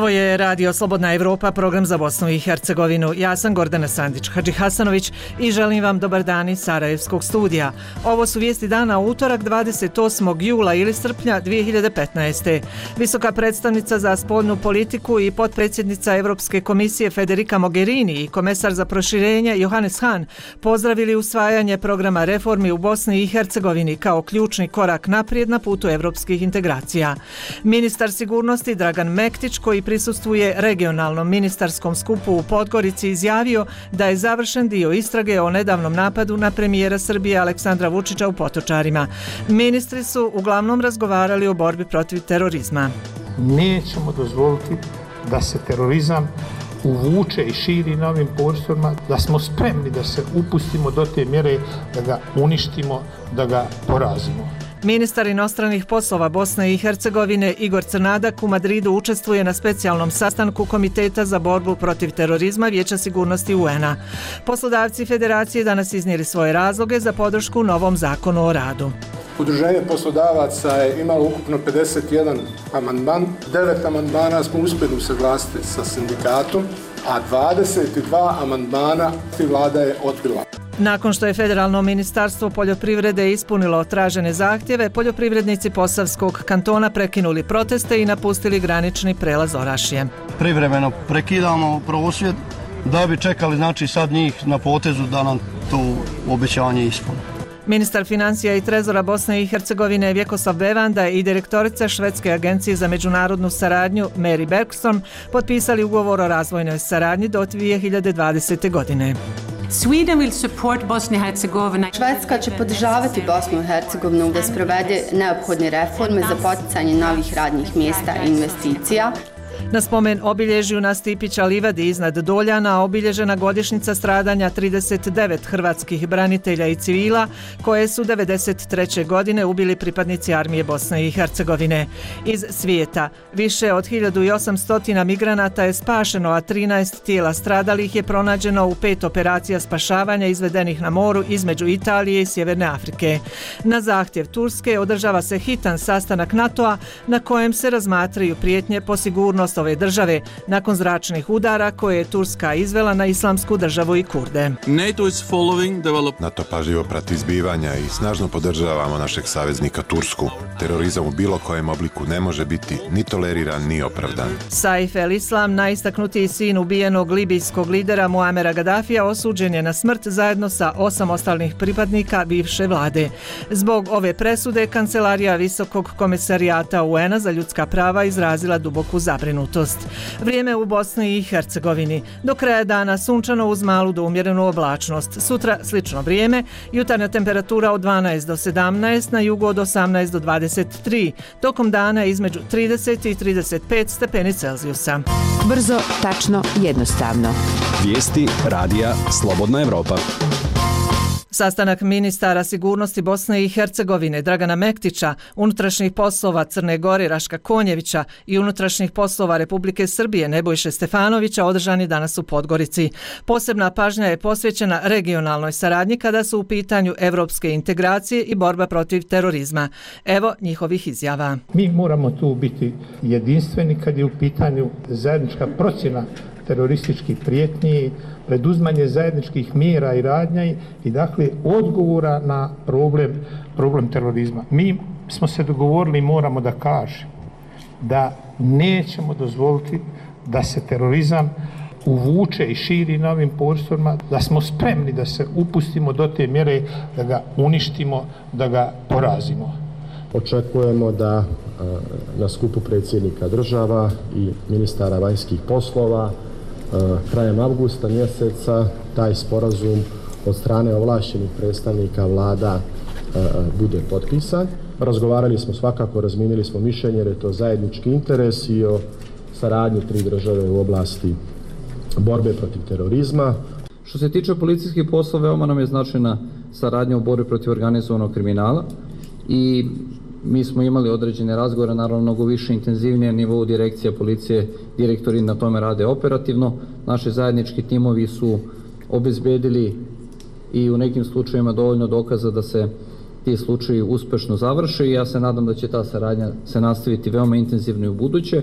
Ovo je Radio Slobodna Evropa, program za Bosnu i Hercegovinu. Ja sam Gordana Sandić-Hadžihasanović i želim vam dobar dan iz Sarajevskog studija. Ovo su vijesti dana u utorak 28. jula ili srpnja 2015. Visoka predstavnica za spoljnu politiku i potpredsjednica Europske komisije Federica Mogherini i komesar za proširenje Johannes Hahn pozdravili usvajanje programa reformi u Bosni i Hercegovini kao ključni korak naprijed na putu evropskih integracija. Ministar sigurnosti Dragan Mektić, koji prisustvuje regionalnom ministarskom skupu u Podgorici, izjavio da je završen dio istrage o nedavnom napadu na premijera Srbije Aleksandra Vučića u Potočarima. Ministri su uglavnom razgovarali o borbi protiv terorizma. Nećemo dozvoliti da se terorizam uvuče i širi na ovim prostorima, da smo spremni da se upustimo do te mjere da ga uništimo, da ga porazimo. Ministar inostranih poslova Bosne i Hercegovine Igor Crnadak u Madridu učestvuje na specijalnom sastanku Komiteta za borbu protiv terorizma Vijeća sigurnosti UN-a. Poslodavci Federacije danas iznijeli svoje razloge za podršku novom zakonu o radu. Udruženje poslodavaca je imalo ukupno 51 amandman. 9 amandmana smo uspjeli usaglasiti sa sindikatom, a 22 amandmana Vlada je odbila. Nakon što je Federalno ministarstvo poljoprivrede ispunilo tražene zahtjeve, poljoprivrednici Posavskog kantona prekinuli proteste i napustili granični prelaz Orašje. Privremeno prekidamo prosvjed da bi čekali sad njih na potezu da nam to obećanje ispune. Ministar financija i trezora Bosne i Hercegovine Vjekoslav Bevanda i direktorica Švedske agencije za međunarodnu saradnju Mary Bergstrom potpisali ugovor o razvojnoj saradnji do 2020. godine. Švedska će podržavati Bosnu i Hercegovinu da sprovede neophodne reforme za poticanje novih radnih mjesta i investicija. Na spomen obilježju na Stipića livadi iznad Doljana obilježena godišnjica stradanja 39 hrvatskih branitelja i civila koje su 1993. godine ubili pripadnici armije Bosne i Hercegovine. Iz svijeta više od 1800 migranata je spašeno, a 13 tijela stradalih je pronađeno u 5 operacija spašavanja izvedenih na moru između Italije i Sjeverne Afrike. Na zahtjev Turske održava se hitan sastanak NATO-a na kojem se razmatraju prijetnje po sigurnost ove države nakon zračnih udara koje je Turska izvela na Islamsku državu i Kurde. NATO pažljivo prati zbivanja i snažno podržavamo našeg saveznika Tursku. Terorizam u bilo kojem obliku ne može biti ni toleriran ni opravdan. Saif el-Islam, najistaknutiji sin ubijenog libijskog lidera Muamera Gaddafija, osuđen je na smrt zajedno sa 8 ostalih pripadnika bivše vlade. Zbog ove presude Kancelarija Visokog komesarijata UN-a za ljudska prava izrazila duboku zabrinutost. Vrijeme u Bosni i Hercegovini. Do kraja dana sunčano uz malu do umjerenu oblačnost. Sutra slično vrijeme, jutarnja temperatura od 12 do 17, na jugu od 18 do 23. Tokom dana između 30 i 35 stepeni Celzijusa. Brzo, tačno, jednostavno. Vijesti Radija Slobodna Evropa. Sastanak ministara sigurnosti Bosne i Hercegovine Dragana Mektića, unutrašnjih poslova Crne Gore Raška Konjevića i unutrašnjih poslova Republike Srbije Nebojše Stefanovića održan je danas u Podgorici. Posebna pažnja je posvećena regionalnoj saradnji kada su u pitanju evropske integracije i borba protiv terorizma. Evo njihovih izjava. Mi moramo tu biti jedinstveni kad je u pitanju zajednička procjena terorističkih prijetnji, preduzmanje zajedničkih mjera i radnja i dakle odgovora na problem terorizma. Mi smo se dogovorili i moramo da kažemo da nećemo dozvoliti da se terorizam uvuče i širi na ovim prostorima, da smo spremni da se upustimo do te mjere da ga uništimo, da ga porazimo. Očekujemo da na skupu predsjednika država i ministara vanjskih poslova krajem avgusta mjeseca taj sporazum od strane ovlaštenih predstavnika vlada bude potpisan. Razgovarali smo svakako, razmijenili smo mišljenje jer je to zajednički interes i o saradnji 3 države u oblasti borbe protiv terorizma. Što se tiče policijskih poslova, veoma nam je značajna saradnja u borbi protiv organizovanog kriminala i mi smo imali određene razgovore, naravno mnogo više intenzivnije nivou direkcija policije, direktori na tome rade operativno. Naši zajednički timovi su obezbedili i u nekim slučajevima dovoljno dokaza da se ti slučaji uspešno završe i ja se nadam da će ta saradnja se nastaviti veoma intenzivno i u buduće.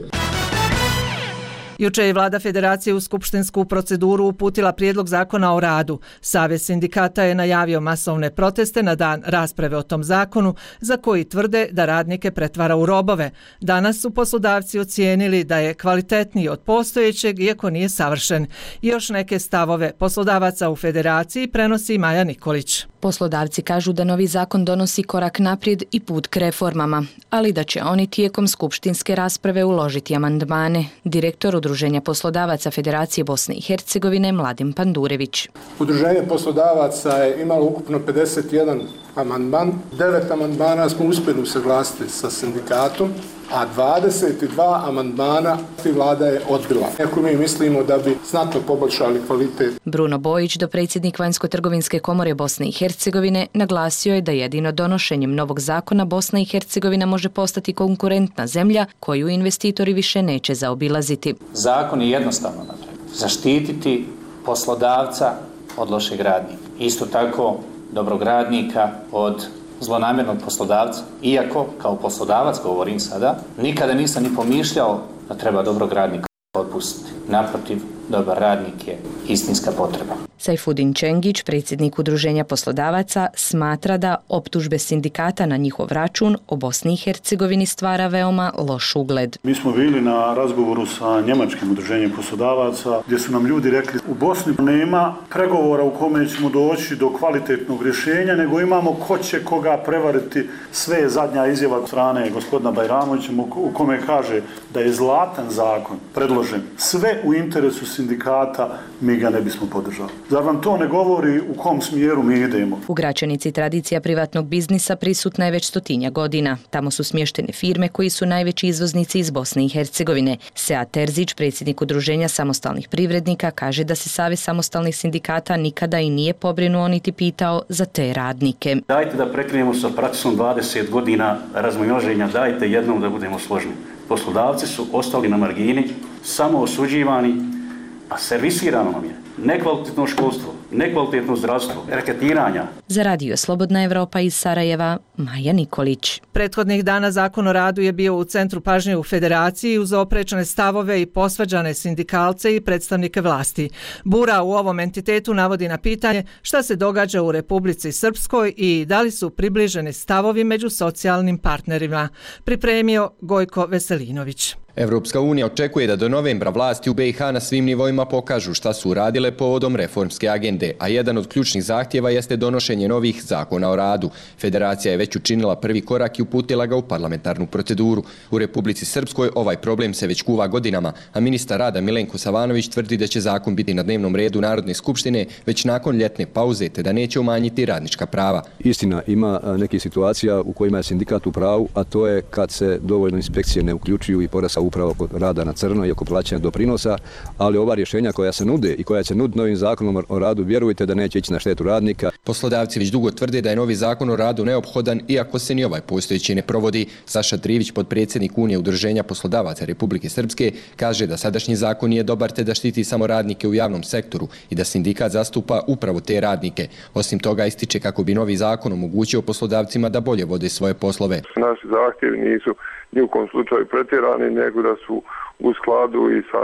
Juče je vlada federacije u skupštinsku proceduru uputila prijedlog zakona o radu. Savez sindikata je najavio masovne proteste na dan rasprave o tom zakonu, za koji tvrde da radnike pretvara u robove. Danas su poslodavci ocijenili da je kvalitetniji od postojećeg, iako nije savršen. Još neke stavove poslodavaca u federaciji prenosi Maja Nikolić. Poslodavci kažu da novi zakon donosi korak naprijed i put k reformama, ali da će oni tijekom skupštinske rasprave uložiti amandmane. Direktor Udruženja poslodavaca Federacije Bosne i Hercegovine Mladen Pandurević. Udruženje poslodavaca je imalo ukupno 51 amandman. 9 amandmana smo uspjeli usaglasiti sa sindikatom, a 22 amandmana vlada je odbila. Ako mi mislimo da bi znatno poboljšali kvalitet. Bruno Bojić, dopredsjednik Vanjsko-trgovinske komore Bosne i Hercegovine, naglasio je da jedino donošenjem novog zakona Bosna i Hercegovina može postati konkurentna zemlja koju investitori više neće zaobilaziti. Zakon je jednostavno napravljen. Zaštititi poslodavca od lošeg radnika. Isto tako dobrog radnika od zlonamjernog poslodavca. Iako, kao poslodavac, govorim sada, nikada nisam ni pomišljao da treba dobrog radnika otpustiti. Naprotiv, dobar radnik je istinska potreba. Sajfudin Čengić, predsjednik Udruženja poslodavaca, smatra da optužbe sindikata na njihov račun o Bosni i Hercegovini stvara veoma loš ugled. Mi smo bili na razgovoru sa njemačkim udruženjem poslodavaca gdje su nam ljudi rekli u Bosni nema pregovora u kome ćemo doći do kvalitetnog rješenja, nego imamo ko će koga prevariti. Sve je zadnja izjava od strane gospodina Bajramovića u kome kaže da je zlatan zakon predložen sve u interesu sindikata, mi ga ne bismo podržali. Zar vam to ne govori u kom smjeru mi idemo? U Gračanici tradicija privatnog biznisa prisutna je već 100 godina. Tamo su smještene firme koji su najveći izvoznici iz Bosne i Hercegovine. Sead Terzić, predsjednik Udruženja samostalnih privrednika, kaže da se Savez samostalnih sindikata nikada i nije pobrinuo niti pitao za te radnike. Dajte da prekrenemo sa praksom 20 godina razmnoženja, dajte jednom da budemo složni. Poslodavci su ostali na margini, samo osuđivani, a servisirano nam je nekvalitetno školstvo, nekvalitetno zdravstvo, reketiranja. Za Radio Slobodna Evropa iz Sarajeva, Maja Nikolić. Prethodnih dana Zakon o radu je bio u centru pažnje u federaciji uz oprečne stavove i posvađane sindikalce i predstavnike vlasti. Bura u ovom entitetu navodi na pitanje šta se događa u Republici Srpskoj i da li su približeni stavovi među socijalnim partnerima. Pripremio Gojko Veselinović. Evropska unija očekuje da do novembra vlasti u BiH na svim nivoima pokažu šta su uradile povodom reformske agende, a jedan od ključnih zahtjeva jeste donošenje novih zakona o radu. Federacija je već učinila prvi korak i uputila ga u parlamentarnu proceduru. U Republici Srpskoj ovaj problem se već kuva godinama, a ministar rada Milenko Savanović tvrdi da će zakon biti na dnevnom redu Narodne skupštine već nakon ljetne pauze, te da neće umanjiti radnička prava. Istina, ima nekih situacija u kojima je sindikat u pravu, a to je kad se dovoljno inspekcije ne uključuju i porasta upravo oko rada na crno i oko plaćanja doprinosa, ali ova rješenja koja se nude i koja će nuditi novim zakonom o radu, vjerujte da neće ići na štetu radnika. Poslodavci već dugo tvrde da je novi zakon o radu neophodan, iako se ni ovaj postojeći ne provodi. Saša Trivić, potpredsjednik Unije Udruženja poslodavaca Republike Srpske, kaže da sadašnji zakon nije dobar te da štiti samo radnike u javnom sektoru i da sindikat zastupa upravo te radnike. Osim toga ističe kako bi novi zakon omogućio poslodavcima da bolje vode svoje poslove. Naši zahtjevi nisu ni u kom slučaju pretjerani, nego da su u skladu i sa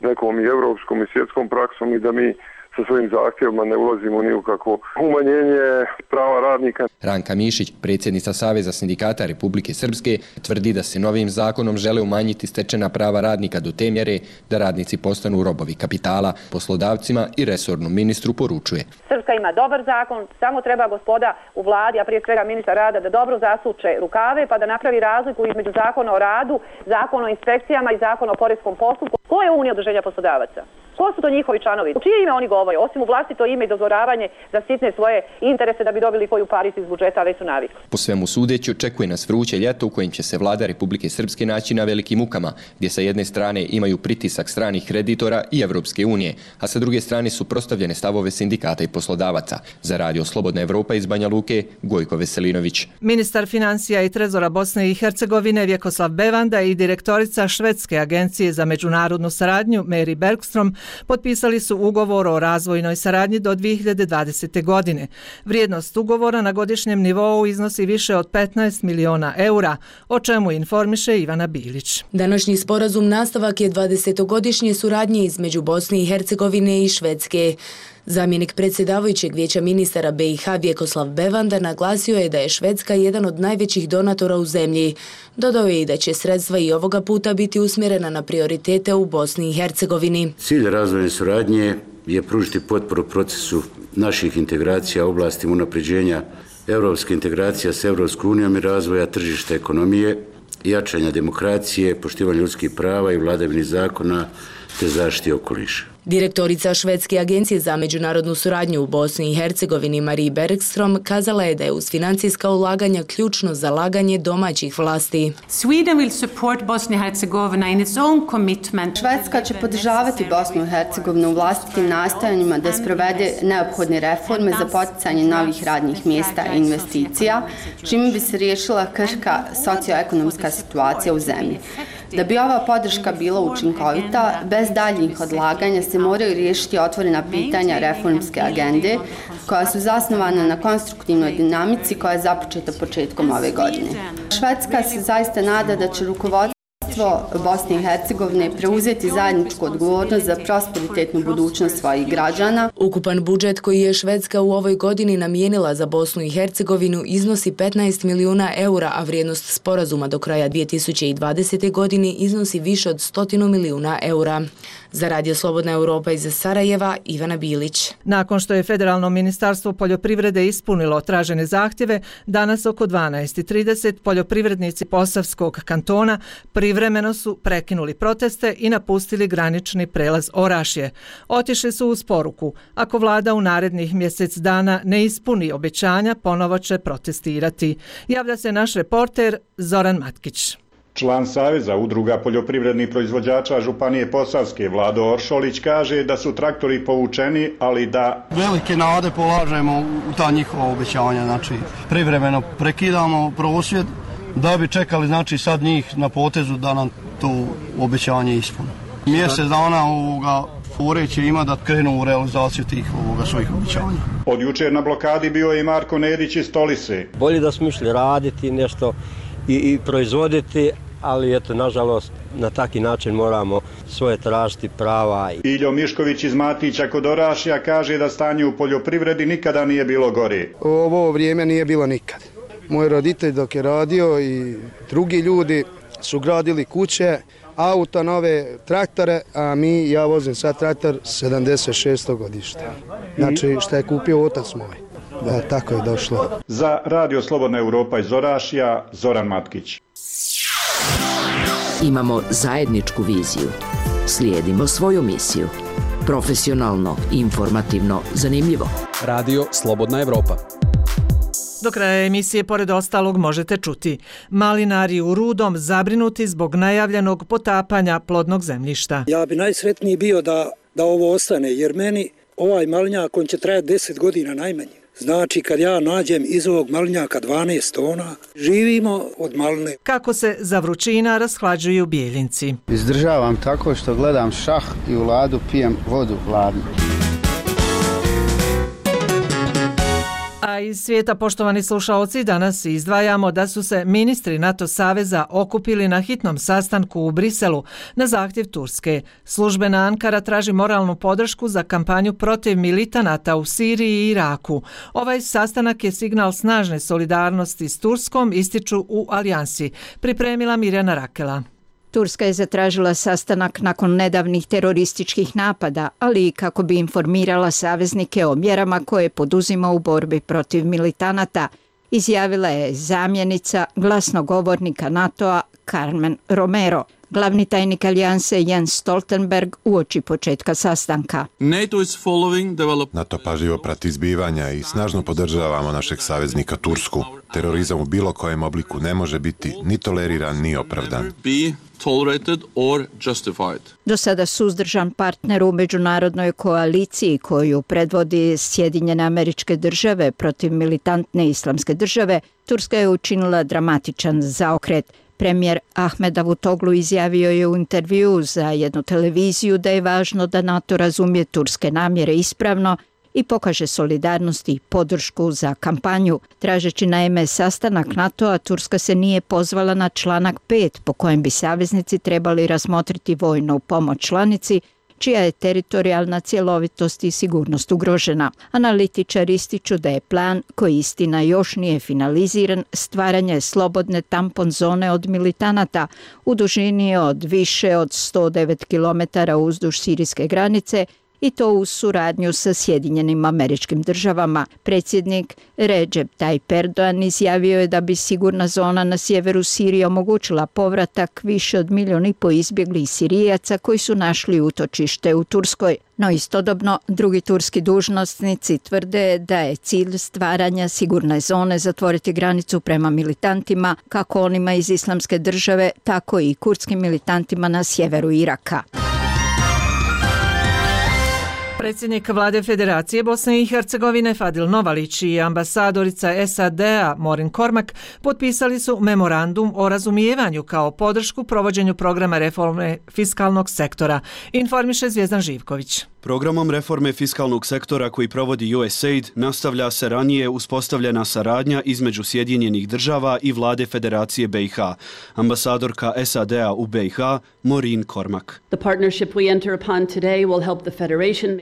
nekom i evropskom i svjetskom praksom i da mi sa svojim zahtjevima ne ulazimo ni u kakvo umanjenje prava radnika. Ranka Mišić, predsjednica Saveza sindikata Republike Srpske, tvrdi da se novim zakonom žele umanjiti stečena prava radnika do te mjere da radnici postanu robovi kapitala. Poslodavcima i resornom ministru poručuje. Srpska ima dobar zakon, samo treba gospoda u vladi, a prije svega ministar rada, da dobro zasuče rukave pa da napravi razliku između zakona o radu, zakona o inspekcijama i zakona o poreskom postupku. Ko je Unija udruženja poslodavaca? Ko su to njihovi članovi? U čije ime oni govore? Osim u vlastito ime i dodvoravanje za sitne svoje interese da bi dobili koju paricu iz budžeta, već su navikli. Po svemu sudeći očekuje nas vruće ljeto u kojem će se vlada Republike Srpske naći na velikim mukama, gdje sa jedne strane imaju pritisak stranih kreditora i Evropske unije, a sa druge strane su prostavljene stavove sindikata i poslodavaca. Za Radio Slobodna Evropa iz Banja Luke, Gojko Veselinović. Ministar financija i trezora Bosne i Hercegovine Vjekoslav Bevanda i direktorica Švedske agencije za međunarodnu međunarodnu saradnju Mary Bergstrom potpisali su ugovor o razvojnoj saradnji do 2020. godine. Vrijednost ugovora na godišnjem nivou iznosi više od 15 miliona eura, o čemu informiše Ivana Bilić. Današnji sporazum nastavak je 20-godišnje suradnje između Bosne i Hercegovine i Švedske. Zamjenik predsjedavajućeg vijeća ministara BiH Vjekoslav Bevanda naglasio je da je Švedska jedan od najvećih donatora u zemlji. Dodao je i da će sredstva i ovoga puta biti usmjerena na prioritete u Bosni i Hercegovini. Cilj razvojne suradnje je pružiti potporu procesu naših integracija u oblasti unapređenja europske integracije s Europskom unijom i razvoja tržišta ekonomije, jačanja demokracije, poštivanja ljudskih prava i vladavine zakona te zaštiti okoliša. Direktorica Švedske agencije za međunarodnu suradnju u Bosni i Hercegovini Marie Bergstrom kazala je da je uz financijska ulaganja ključno zalaganje domaćih vlasti. Švedska će podržavati Bosnu i Hercegovinu u vlastitim nastojanjima da sprovede neophodne reforme za poticanje novih radnih mjesta i investicija, čime bi se riješila krhka socioekonomska situacija u zemlji. Da bi ova podrška bila učinkovita, bez daljnjih odlaganja se moraju riješiti otvorena pitanja reformske agende, koja su zasnovana na konstruktivnoj dinamici koja je započeta početkom ove godine. Švedska se zaista nada da će rukovodstvo Bosne i Hercegovine preuzeti zajedničku odgovornost za prosperitetnu budućnost svojih građana. Ukupan budžet koji je Švedska u ovoj godini namijenila za Bosnu i Hercegovinu iznosi 15 milijuna eura, a vrijednost sporazuma do kraja 2020. godine iznosi više od 100 milijuna eura. Za Radio Slobodna Europa iz Sarajeva, Ivana Bilić. Nakon što je Federalno ministarstvo poljoprivrede ispunilo tražene zahtjeve, danas oko 12:30 poljoprivrednici Posavskog kantona privremeno su prekinuli proteste i napustili granični prelaz Orašje. Otišli su uz poruku: ako vlada u narednih mjesec dana ne ispuni obećanja, ponovo će protestirati. Javlja se naš reporter Zoran Matkić. Član Saveza udruga poljoprivrednih proizvođača Županije Posavske Vlado Oršolić kaže da su traktori povučeni, ali da velike nade polažemo u ta njihova obećanja, znači privremeno prekidamo prosvjed da bi čekali, znači sad njih na potezu da nam to obećanje ispune. Mjesec dana ureće ima da krenu u realizaciju tih svojih obećanja. Od jučer na blokadi bio je i Marko Nedić iz Stolice. Bolje da smo išli raditi nešto i proizvoditi, ali eto, nažalost, na taki način moramo svoje tražiti prava. Iljo Mišković iz Matića kod Orašja kaže da stanje u poljoprivredi nikada nije bilo gore. Ovo vrijeme nije bilo nikad. Moj roditelj dok je radio i drugi ljudi su gradili kuće, auta, nove traktore, a ja vozim sad traktor 76. godišta. Znači što je kupio otac moj. Da, tako je došlo. Za Radio Slobodna Europa iz Orašja, Zoran Matkić. Imamo zajedničku viziju. Slijedimo svoju misiju. Profesionalno, informativno, zanimljivo. Radio Slobodna Europa. Do kraja emisije, pored ostalog, možete čuti: malinari u Rudom zabrinuti zbog najavljenog potapanja plodnog zemljišta. Ja bi najsretniji bio da ovo ostane, jer meni ovaj malinjak, on će trajati 10 godina najmanje. Znači, kad ja nađem iz ovog malinjaka 12 tona, živimo od maline. Kako se za vrućina rashlađuju Bijeljinci? Izdržavam tako što gledam šah i u ladu pijem vodu hladnu. A iz svijeta, poštovani slušaoci, danas izdvajamo da su se ministri NATO saveza okupili na hitnom sastanku u Briselu na zahtjev Turske. Službena Ankara traži moralnu podršku za kampanju protiv militanata u Siriji i Iraku. Ovaj sastanak je signal snažne solidarnosti s Turskom, ističu u alijansi. Pripremila Mirjana Rakela. Turska je zatražila sastanak nakon nedavnih terorističkih napada, ali i kako bi informirala saveznike o mjerama koje poduzima u borbi protiv militanata, izjavila je zamjenica glasnogovornika NATO-a Carmen Romero. Glavni tajnik alijanse Jens Stoltenberg uoči početka sastanka. NATO pažljivo prati zbivanja i snažno podržavamo našeg saveznika Tursku. Terorizam u bilo kojem obliku ne može biti ni toleriran ni opravdan. Do sada suzdržan partner u međunarodnoj koaliciji koju predvodi Sjedinjene Američke Države protiv militantne islamske države, Turska je učinila dramatičan zaokret. Premijer Ahmed Davutoglu izjavio je u intervjuu za jednu televiziju da je važno da NATO razumije turske namjere ispravno i pokaže solidarnost i podršku za kampanju. Tražeći naime sastanak NATO-a, Turska se nije pozvala na članak 5 po kojem bi saveznici trebali razmotriti vojnu pomoć članici čija je teritorijalna cjelovitost i sigurnost ugrožena. Analitičari ističu da je plan, koji istina još nije finaliziran, stvaranje slobodne tampon zone od militanata u dužini od više od 109 km uzduž sirijske granice i to u suradnju sa Sjedinjenim Američkim Državama. Predsjednik Recep Tayyip Erdogan izjavio je da bi sigurna zona na sjeveru Sirije omogućila povratak više od 1,5 milijuna izbjeglih Sirijaca koji su našli utočište u Turskoj. No istodobno, drugi turski dužnosnici tvrde da je cilj stvaranja sigurne zone zatvoriti granicu prema militantima, kako onima iz Islamske države, tako i kurdskim militantima na sjeveru Iraka. Predsjednik Vlade Federacije Bosne i Hercegovine Fadil Novalić i ambasadorica SAD-a Morin Kormak potpisali su memorandum o razumijevanju kao podršku provođenju programa reforme fiskalnog sektora, informiše Zvijezdan Živković. Programom reforme fiskalnog sektora koji provodi USAID nastavlja se ranije uspostavljena saradnja između Sjedinjenih država i Vlade Federacije BiH. Ambasadorka SAD-a u BiH Morin Kormak.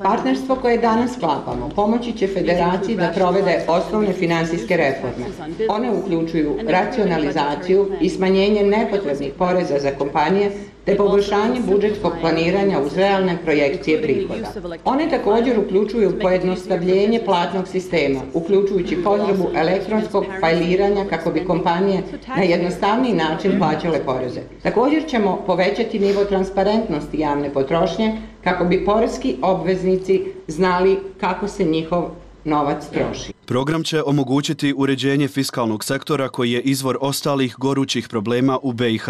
Partnerstvo koje danas sklapamo pomoći će Federaciji da provede osnovne finansijske reforme. One uključuju racionalizaciju i smanjenje nepotrebnih poreza za kompanije te poboljšanje budžetskog planiranja uz realne projekcije prihoda. One također uključuju pojednostavljenje platnog sistema, uključujući potrebu elektronskog fajliranja kako bi kompanije na jednostavniji način plaćale poreze. Također ćemo povećati nivo transparentnosti javne potrošnje kako bi poreski obveznici znali kako se njihov novac troši. Program će omogućiti uređenje fiskalnog sektora koji je izvor ostalih gorućih problema u BiH,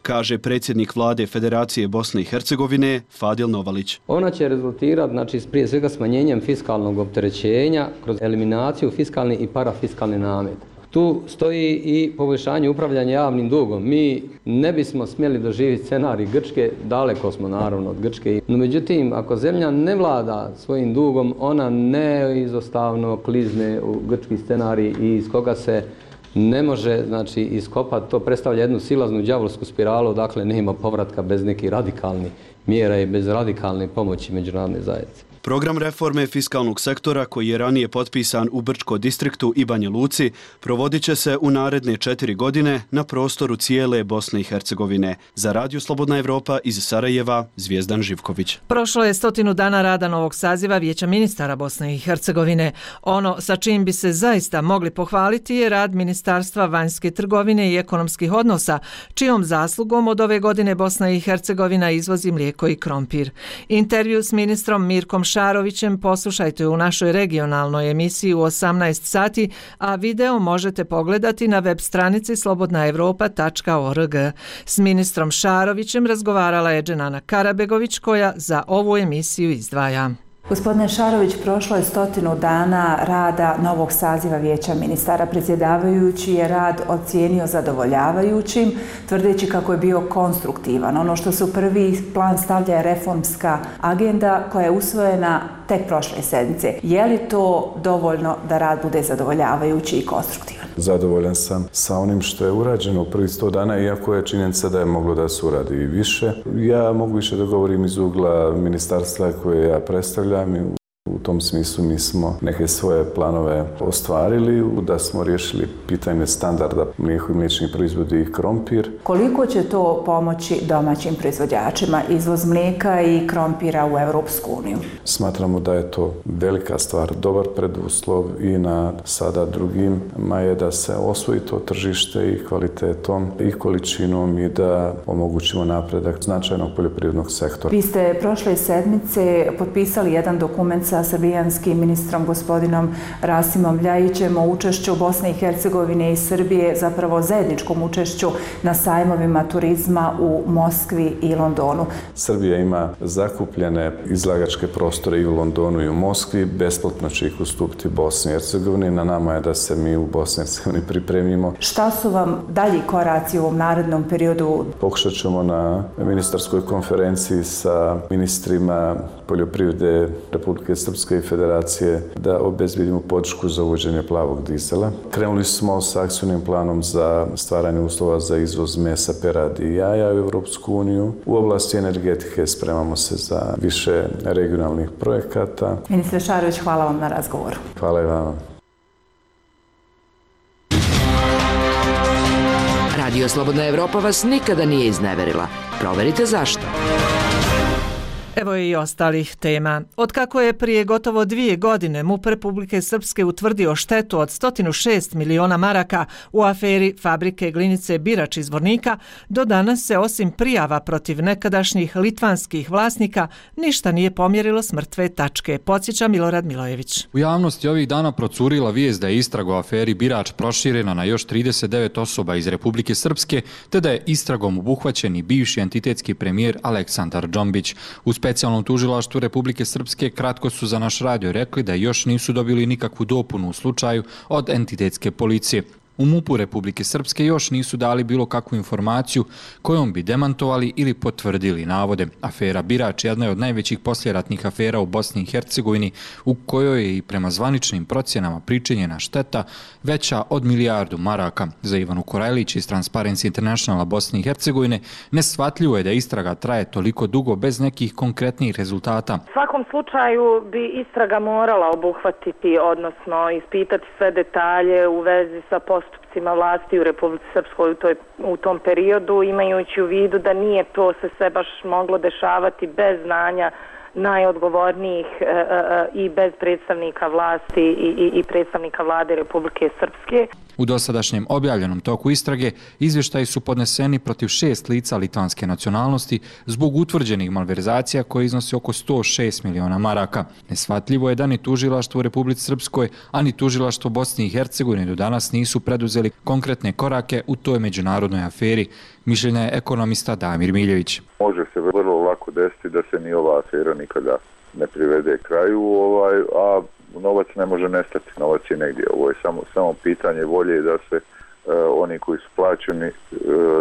kaže predsjednik Vlade Federacije Bosne i Hercegovine Fadil Novalić. Ona će rezultirati prije svega smanjenjem fiskalnog opterećenja kroz eliminaciju fiskalnih i parafiskalnih nameta. Tu stoji i poboljšanje upravljanja javnim dugom. Mi ne bismo smjeli doživjeti scenarij Grčke, daleko smo naravno od Grčke. No međutim, ako zemlja ne vlada svojim dugom, ona neizostavno klizne u grčki scenarij i iz koga se ne može iskopati. To predstavlja jednu silaznu đavolsku spiralu, dakle nema povratka bez nekih radikalnih mjera i bez radikalne pomoći međunarodne zajednice. Program reforme fiskalnog sektora koji je ranije potpisan u Brčko distriktu i Banja Luci provodit će se u naredne 4 godine na prostoru cijele Bosne i Hercegovine. Za Radio Slobodna Evropa iz Sarajeva, Zvijezdan Živković. Prošlo je 100 dana rada novog saziva Vijeća ministara Bosne i Hercegovine. Ono sa čim bi se zaista mogli pohvaliti je rad Ministarstva vanjske trgovine i ekonomskih odnosa, čijom zaslugom od ove godine Bosna i Hercegovina izvozi mlijeko i krompir. Intervju s ministrom Mirkom Šarovićem poslušajte u našoj regionalnoj emisiji u 18 sati, a video možete pogledati na web stranici slobodnaevropa.org. S ministrom Šarovićem razgovarala je Dženana Karabegović koja za ovu emisiju izdvaja. Gospodine Šarović, prošlo je 100 dana rada novog saziva Vijeća ministara. Predsjedavajući je rad ocijenio zadovoljavajućim, tvrdeći kako je bio konstruktivan. Ono što se u prvi plan stavlja je reformska agenda koja je usvojena tek prošle sedmice. Je li to dovoljno da rad bude zadovoljavajući i konstruktivan? Zadovoljan sam sa onim što je urađeno u prvih 100 dana, iako je činjenica da je moglo da se uradi i više. Ja mogu više da govorim iz ugla ministarstva koje ja predstavljam. U tom smislu mi smo neke svoje planove ostvarili, da smo riješili pitanje standarda mlijeko i mliječnih proizvodi i krompir. Koliko će to pomoći domaćim proizvođačima, izvoz mlijeka i krompira u Europsku uniju? Smatramo da je to velika stvar, dobar preduslov i na sada drugima je da se osvoji to tržište i kvalitetom i količinom i da omogućimo napredak značajnog poljoprivrednog sektora. Vi ste prošle sedmice potpisali jedan dokument sa srbijanskim ministrom gospodinom Rasimom Ljajićem o učešću Bosne i Hercegovine i Srbije, zapravo zajedničkom učešću na sajmovima turizma u Moskvi i Londonu. Srbija ima zakupljene izlagačke prostore i u Londonu i u Moskvi, besplatno će ih ustupiti Bosni i Hercegovini. Na nama je da se mi u Bosni i Hercegovini pripremimo. Šta su vam dalji koraci u ovom narednom periodu? Pokušat ćemo na ministarskoj konferenciji sa ministrima poljoprivrede Republike Srpske i Federacije da obezbijedimo podršku za uvođenje plavog dizela. Krenuli smo sa akcijnim planom za stvaranje uslova za izvoz mesa, peradi i jaja u Europsku uniju. U oblasti energetike spremamo se za više regionalnih projekata. Ministre Šarović, hvala vam na razgovoru. Hvala i vama. Radio Slobodna Evropa vas nikada nije izneverila. Proverite zašto. Evo i ostalih tema. Otkako je prije gotovo 2 godine MUP Republike Srpske utvrdio štetu od 106 miliona maraka u aferi fabrike glinice Birač iz Zvornika, do danas se osim prijava protiv nekadašnjih litvanskih vlasnika ništa nije pomjerilo s mrtve tačke, podsjeća Milorad Milojević. U javnosti ovih dana procurila vijest da je istraga o aferi Birač proširena na još 39 osoba iz Republike Srpske, te da je istragom obuhvaćen i bivši entitetski premijer Aleksandar Džombić. U specijalnom tužilaštvu Republike Srpske kratko su za naš radio rekli da još nisu dobili nikakvu dopunu u slučaju od entitetske policije. U MUP-u Republike Srpske još nisu dali bilo kakvu informaciju kojom bi demantovali ili potvrdili navode. Afera Birač jedna je od najvećih posljeratnih afera u Bosni i Hercegovini, u kojoj je i prema zvaničnim procjenama pričinjena šteta veća od milijardu maraka. Za Ivanu Korajlić iz Transparency Internationala Bosne i Hercegovine neshvatljivo je da istraga traje toliko dugo bez nekih konkretnih rezultata. U svakom slučaju bi istraga morala obuhvatiti, odnosno ispitati sve detalje u vezi sa postupcima vlasti u Republici Srpskoj u tom periodu, imajući u vidu da nije to se sve baš moglo dešavati bez znanja najodgovornijih i bez predstavnika vlasti i predstavnika vlade Republike Srpske. U dosadašnjem objavljenom toku istrage izvještaji su podneseni protiv 6 lica litvanske nacionalnosti zbog utvrđenih malverzacija koje iznose oko 106 miliona maraka. Neshvatljivo je da ni tužilaštvo u Republici Srpskoj, ani tužilaštvo Bosne i Hercegovine do danas nisu preduzeli konkretne korake u toj međunarodnoj aferi. Mišljenja je ekonomista Damir Miljević. Može se vrlo lako desiti da se ni ova afera nikada ne privede kraju, a novac ne može nestati, novac je negdje. Ovo je samo pitanje volje da se oni koji su plaćeni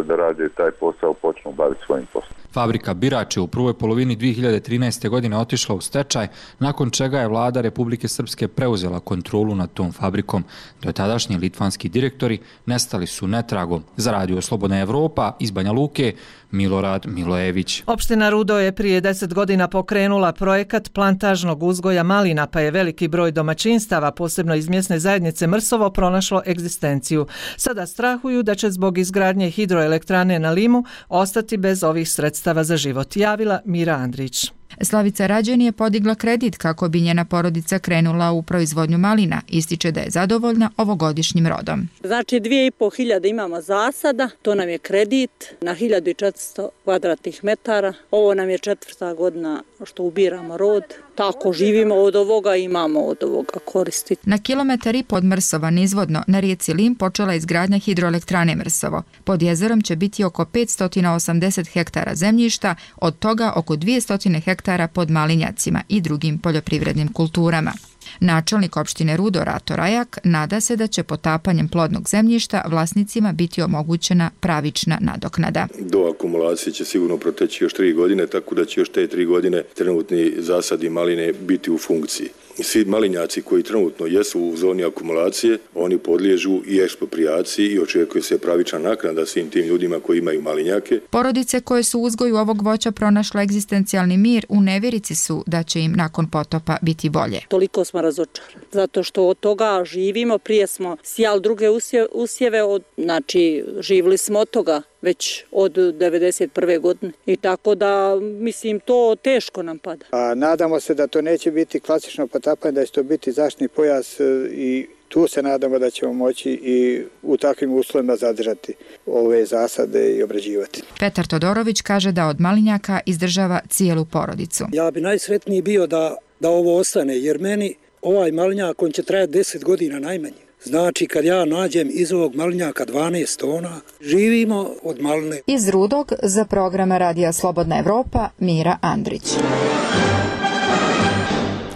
da rade taj posao počnu baviti svojim poslom. Fabrika Birač je u prvoj polovini 2013. godine otišla u stečaj, nakon čega je vlada Republike Srpske preuzela kontrolu nad tom fabrikom. Do tadašnji litvanski direktori nestali su netragom. Za Radio Slobodna Evropa iz Banja Luke, Milorad Milojević. Opština Rudo je prije 10 godina pokrenula projekat plantažnog uzgoja malina, pa je veliki broj domaćinstava, posebno iz mjesne zajednice Mrsovo, pronašlo egzistenciju. Sada strahuju da će zbog izgradnje hidroelektrane na Limu ostati bez ovih sredstava za život, javila Mira Andrić. Slavica Rađen je podigla kredit kako bi njena porodica krenula u proizvodnju malina. Ističe da je zadovoljna ovogodišnjim rodom. Znači 2500 imamo zasada, to nam je kredit na 1400 kvadratnih metara. Ovo nam je 4. godina što ubiramo rod. Tako živimo od ovoga i imamo od ovoga koristiti. Na 1,5 kilometar od Mrsova nizvodno na rijeci Lim počela izgradnja hidroelektrane Mrsovo. Pod jezerom će biti oko 580 hektara zemljišta, od toga oko 200 hektara pod malinjacima i drugim poljoprivrednim kulturama. Načelnik opštine Rudo Rato Rajak nada se da će potapanjem plodnog zemljišta vlasnicima biti omogućena pravična nadoknada. Do akumulacije će sigurno proteći još 3 godine, tako da će još te 3 godine trenutni zasadi maline biti u funkciji. Svi malinjaci koji trenutno jesu u zoni akumulacije, oni podliježu i eksproprijaciji i očekuje se pravična naknada svim tim ljudima koji imaju malinjake. Porodice koje su u uzgoju ovog voća pronašle egzistencijalni mir u nevjerici su da će im nakon potopa biti bolje. Toliko smo razočarani, zato što od toga živimo, prije smo sijali druge usjeve, znači živili smo od toga već od 1991. godine i tako da, mislim, to teško nam pada. Nadamo se da to neće biti klasično potapanje, da će to biti zaštitni pojas i tu se nadamo da ćemo moći i u takvim uslovima zadržati ove zasade i obrađivati. Petar Todorović kaže da od malinjaka izdržava cijelu porodicu. Ja bi najsretniji bio da da ovo ostane, jer meni ovaj malinjak, on će trajati 10 godina najmanje. Znači, kad ja nađem iz ovog malinjaka 12 tona, živimo od maline. Iz Rudog za program Radija Slobodna Evropa, Mira Andrić.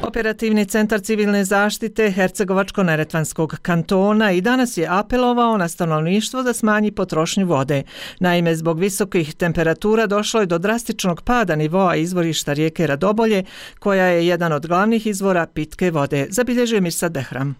Operativni centar civilne zaštite Hercegovačko-neretvanskog kantona i danas je apelovao na stanovništvo da smanji potrošnju vode. Naime, zbog visokih temperatura došlo je do drastičnog pada nivoa izvorišta rijeke Radobolje, koja je jedan od glavnih izvora pitke vode, zabilježio Mirsad Behram.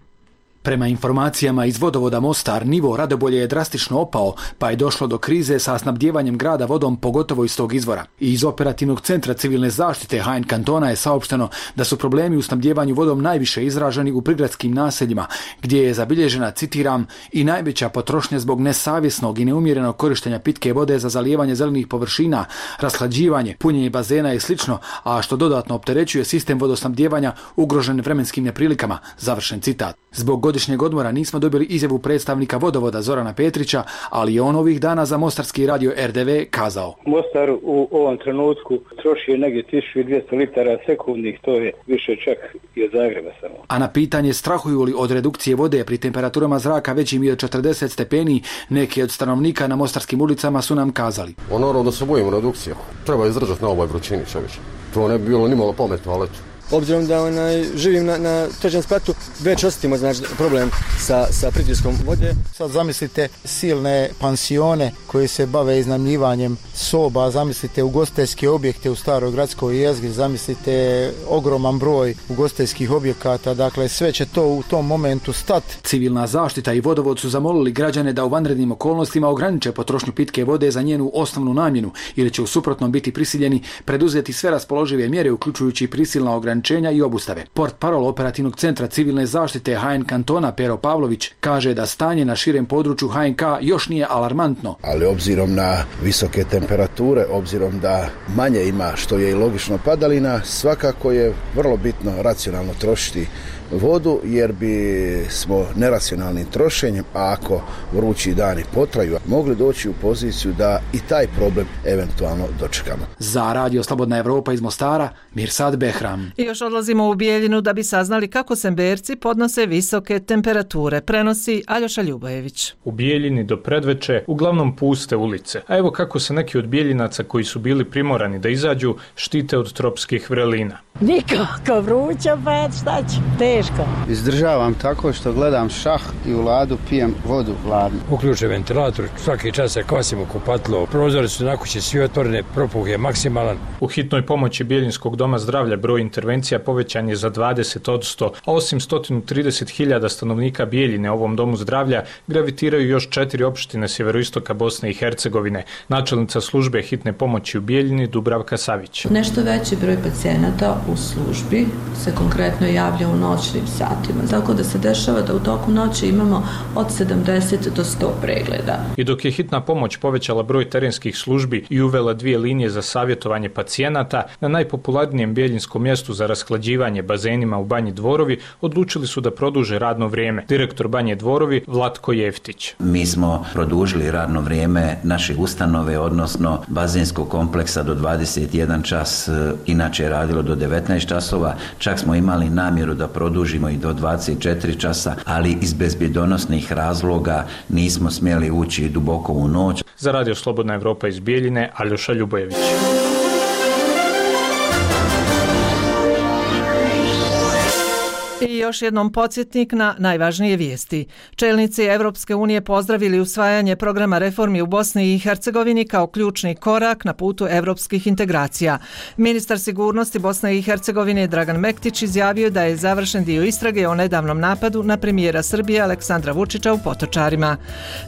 Prema informacijama iz vodovoda Mostar, nivo Radobolje je drastično opao, pa je došlo do krize sa snabdjevanjem grada vodom, pogotovo iz tog izvora. I iz operativnog centra civilne zaštite HN kantona je saopšteno da su problemi u snabdjevanju vodom najviše izraženi u prigradskim naseljima, gdje je zabilježena, citiram, i najveća potrošnja zbog nesavjesnog i neumjerenog korištenja pitke vode za zalijevanje zelenih površina, rashlađivanje, punjenje bazena i slično, a što dodatno opterećuje sistem vodosnabdjevanja ugrožen vremenskim neprilikama, završen citat. Zbog godišnjeg odmora nismo dobili izjavu predstavnika vodovoda Zorana Petrića, ali je on ovih dana za mostarski radio RDV kazao: Mostar u ovom trenutku troši negdje 1200 litara sekundnih, to je više čak i od Zagreba samo. A na pitanje strahuju li od redukcije vode pri temperaturama zraka većim i od 40 stepeni, neki od stanovnika na mostarskim ulicama su nam kazali: Naravno da se bojimo redukcije. Treba izdržati na ovoj vrućini, čovječe. To ne bi bilo nimalo pametno, ali obzirom da živim na trećem spratu, već osjetimo problem sa pritiskom vode. Sad zamislite silne pansione koji se bave iznajmljivanjem soba, zamislite ugostiteljske objekte u staroj gradskoj jezgri, zamislite ogroman broj ugostiteljskih objekata, dakle sve će to u tom momentu stati. Civilna zaštita i vodovod su zamolili građane da u vanrednim okolnostima ograniče potrošnju pitke vode za njenu osnovnu namjenu, ili će u suprotnom biti prisiljeni preduzeti sve raspoložive mjere, uključujući prisilna ograničenja i obustave. Portparol operativnog centra civilne zaštite HN kantona Pero Pavlović kaže da stanje na širem području HNK još nije alarmantno. Ali obzirom na visoke temperature, obzirom da manje ima, što je i logično, padalina, svakako je vrlo bitno racionalno trošiti vodu, jer bi smo neracionalnim trošenjem, a ako vrući dani potraju, mogli doći u poziciju da i taj problem eventualno dočekamo. Za Radio Slobodna Evropa iz Mostara, Mirsad Behram. I još odlazimo u Bijeljinu da bi saznali kako Semberci podnose visoke temperature, prenosi Aljoša Ljubojević. U Bijeljini do predveče uglavnom puste ulice, a evo kako se neki od Bijeljinaca koji su bili primorani da izađu štite od tropskih vrelina. Nikako vruća, pa šta ću, teško. Izdržavam tako što gledam šah i u ladu pijem vodu hladnu. Uključe ventilator, svaki čas se kosim u kupatilo, prozori su na kući svi otvorene, propuh je maksimalan. U hitnoj pomoći Bijeljinskog doma zdravlja broj intervencija povećan je za 20%, a osim 130.000 stanovnika Bijeljine ovom domu zdravlja gravitiraju još 4 opštine sjeveroistoka Bosne i Hercegovine. Načelnica službe hitne pomoći u Bijeljini Dubravka Savić. Nešto veći broj pacijenata u službi se konkretno javlja u noćnim satima, tako da se dešava da u toku noći imamo od 70 do 100 pregleda. I dok je hitna pomoć povećala broj terenskih službi i uvela 2 linije za savjetovanje pacijenata, na najpopularnijem bijeljinskom mjestu za rashlađivanje bazenima u Banji Dvorovi odlučili su da produže radno vrijeme. Direktor Banje Dvorovi Vlatko Jeftić. Mi smo produžili radno vrijeme naše ustanove, odnosno bazenskog kompleksa do 21 čas, inače je radilo do 19 časova, čak smo imali namjeru da produžimo i do 24 časa, ali iz bezbjedonosnih razloga nismo smjeli ući duboko u noć. Za Radio Slobodna Evropa iz Bijeljine, Aljoša Ljubojević. I još jednom podsjetnik na najvažnije vijesti. Čelnici Evropske unije pozdravili usvajanje programa reformi u Bosni i Hercegovini kao ključni korak na putu evropskih integracija. Ministar sigurnosti Bosne i Hercegovine Dragan Mektić izjavio da je završen dio istrage o nedavnom napadu na premijera Srbije Aleksandra Vučića u Potočarima.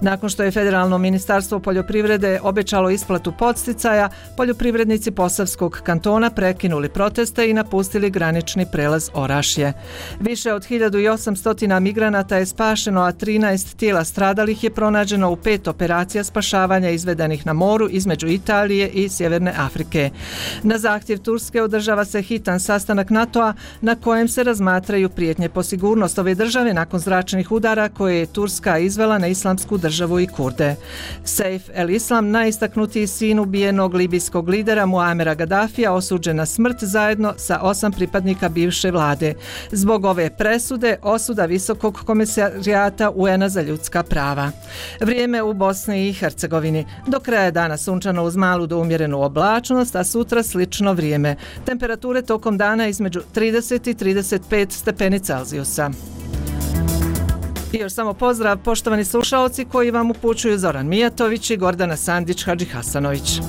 Nakon što je Federalno ministarstvo poljoprivrede obećalo isplatu podsticaja, poljoprivrednici Posavskog kantona prekinuli proteste i napustili granični prelaz Orašje. Više od 1800 migranata je spašeno, a 13 tijela stradalih je pronađeno u 5 operacija spašavanja izvedenih na moru između Italije i Sjeverne Afrike. Na zahtjev Turske održava se hitan sastanak NATO-a na kojem se razmatraju prijetnje po sigurnost ove države nakon zračnih udara koje je Turska izvela na Islamsku državu i Kurde. Saif el-Islam, najistaknutiji sin ubijenog libijskog lidera Muamera Gaddafija, osuđen na smrt zajedno sa 8 pripadnika bivše vlade. Zbog ove presude osuda Visokog komisarijata UN-a za ljudska prava. Vrijeme u Bosni i Hercegovini. Do kraja dana sunčano uz malu do umjerenu oblačnost, a sutra slično vrijeme. Temperature tokom dana između 30 i 35 stepeni Celzijusa. I još samo pozdrav, poštovani slušaoci, koji vam upućuju Zoran Mijatović i Gordana Sandić Hadžihasanović.